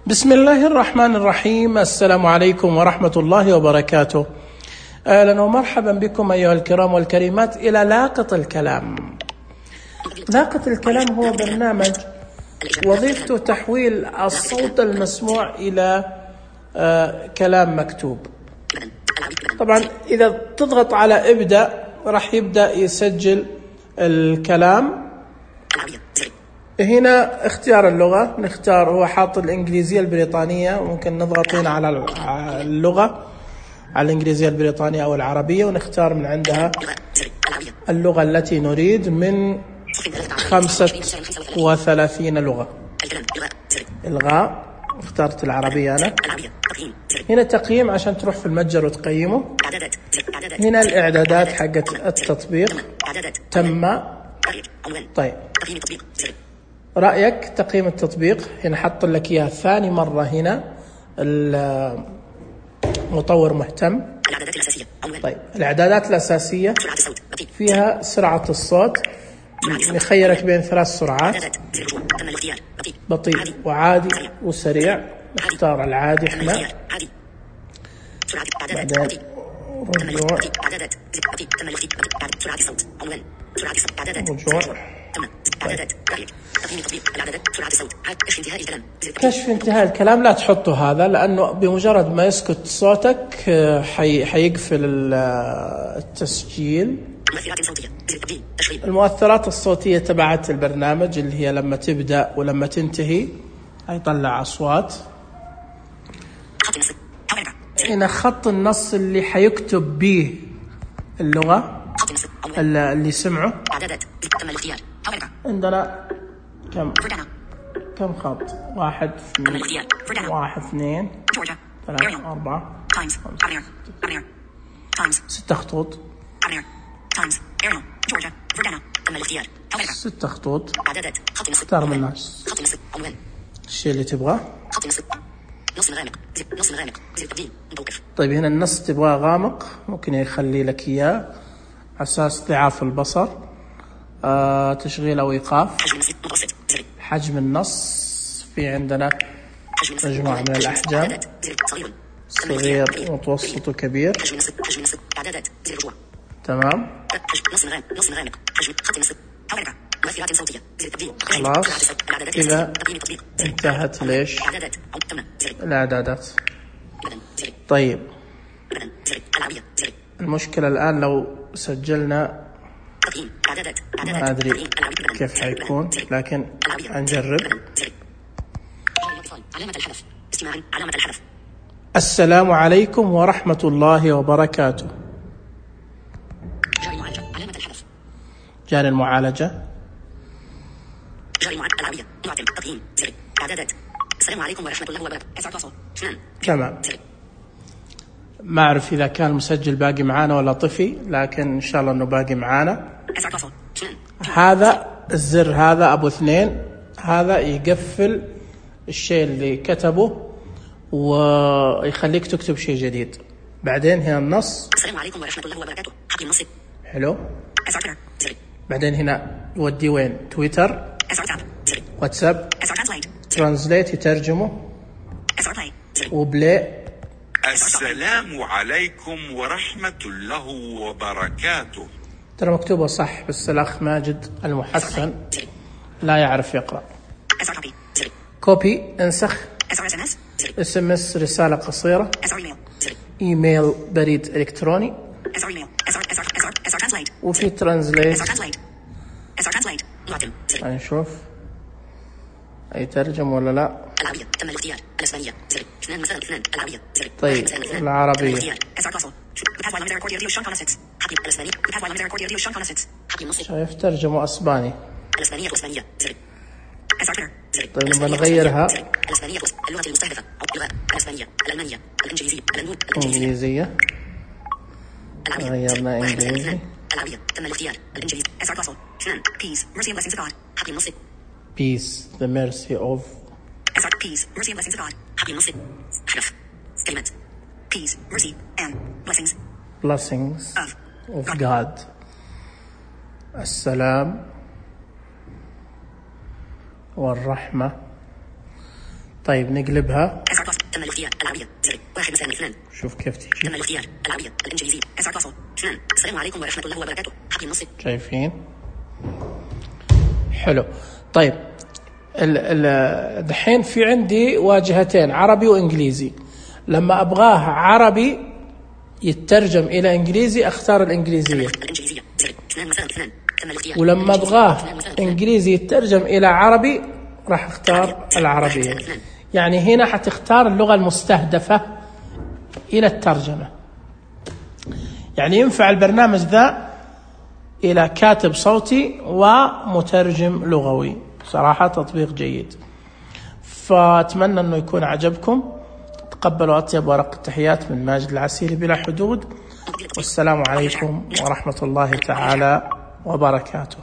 بسم الله الرحمن الرحيم. السلام عليكم ورحمة الله وبركاته. أهلا ومرحبا بكم أيها الكرام والكريمات إلى لاقط الكلام. لاقط الكلام هو برنامج وظيفته تحويل الصوت المسموع إلى كلام مكتوب. طبعا إذا تضغط على ابدأ راح يبدأ يسجل الكلام. هنا اختيار اللغة، نختار، هو حاط الإنجليزية البريطانية، ممكن نضغط هنا على اللغة، على الإنجليزية البريطانية أو العربية، ونختار من عندها اللغة التي نريد من 35 لغة. إلغاء، اخترت العربية أنا. هنا تقييم عشان تروح في المتجر وتقيمه. هنا الإعدادات حقت التطبيق تم. طيب رأيك تقييم التطبيق، هنا حط لك إياه ثاني مرة. هنا المطور مهتم. طيب الإعدادات الأساسية فيها سرعة الصوت، يخيرك بين 3 سرعات، بطيء وعادي وسريع. نختار العادي احنا. بعدين رجوع، كشف انتهاء الكلام. لا تحطوا هذا لأنه بمجرد ما يسكت صوتك حيقفل التسجيل. المؤثرات الصوتية تبعت البرنامج اللي هي لما تبدأ ولما تنتهي هيطلع أصوات. هنا خط النص اللي حيكتب به اللغة اللي سمعه. عندنا كم خط؟ 1 2 3 4 6 خطوط. 6 خطوط. اختار من الناس الشيء اللي تبغاه. طيب هنا النص تبغاه غامق، ممكن يخلي لك إياه على أساس ضعاف البصر. تشغيل أو إيقاف. حجم النص في عندنا مجموعة من الأحجام، صغير متوسط وكبير. تمام. خلاص كذا انتهت ليش الإعدادات. طيب المشكلة الآن لو سجلنا ما أدري كيف حيكون، لكن هنجرب. السلام عليكم ورحمة الله وبركاته. جاري المعالجة. السلام عليكم ورحمة الله وبركاته. تمام. ما أعرف إذا كان المسجل باقي معانا ولا طفي، لكن إن شاء الله إنه باقي معانا. هذا الزر هذا أبو 2، هذا يقفل الشيء اللي كتبه ويخليك تكتب شيء جديد. بعدين هنا النص. السلام عليكم ورحمة الله وبركاته. حقي النص. حلو. بعدين هنا يودي وين؟ تويتر، واتساب، ترانسليت يترجمه، وبلاي. السلام عليكم ورحمة الله وبركاته. ترى مكتوبة صح، بس الأخ ماجد المحسن لا يعرف يقرأ. كوبي انسخ. SMS رسالة قصيرة. إيميل بريد إلكتروني. وفي ترانسليت. نشوف يترجم ولا لا. طيب العربية شايف ترجمة أسباني. طيب نبغى نغيرها إنجليزية. غيرنا إنجليزي. Peace, the mercy of. Peace, mercy and blessings of God. Happy Muslim. Kalimat. Peace, mercy and blessings. Blessings of God. السلام والرحمة طيب نقلبها. تم الاختيار العربية زر 1 مساء 2. شوف كيف تيجي. تم الاختيار العربية الإنجليزية أسعد فاصل 2. السلام عليكم ورحمة الله وبركاته. حقي النص. شايفين؟ حلو. طيب دحين في عندي واجهتين عربي وإنجليزي. لما أبغاه عربي يترجم إلى إنجليزي أختار الإنجليزية. ولما أبغاه إنجليزي يترجم إلى عربي راح أختار العربية. يعني هنا حتختار اللغة المستهدفة إلى الترجمة. يعني ينفع البرنامج ذا إلى كاتب صوتي ومترجم لغوي. صراحة تطبيق جيد. فأتمنى أنه يكون عجبكم. تقبلوا أطيب ورق التحيات من ماجد العسيري بلا حدود. والسلام عليكم ورحمة الله تعالى وبركاته.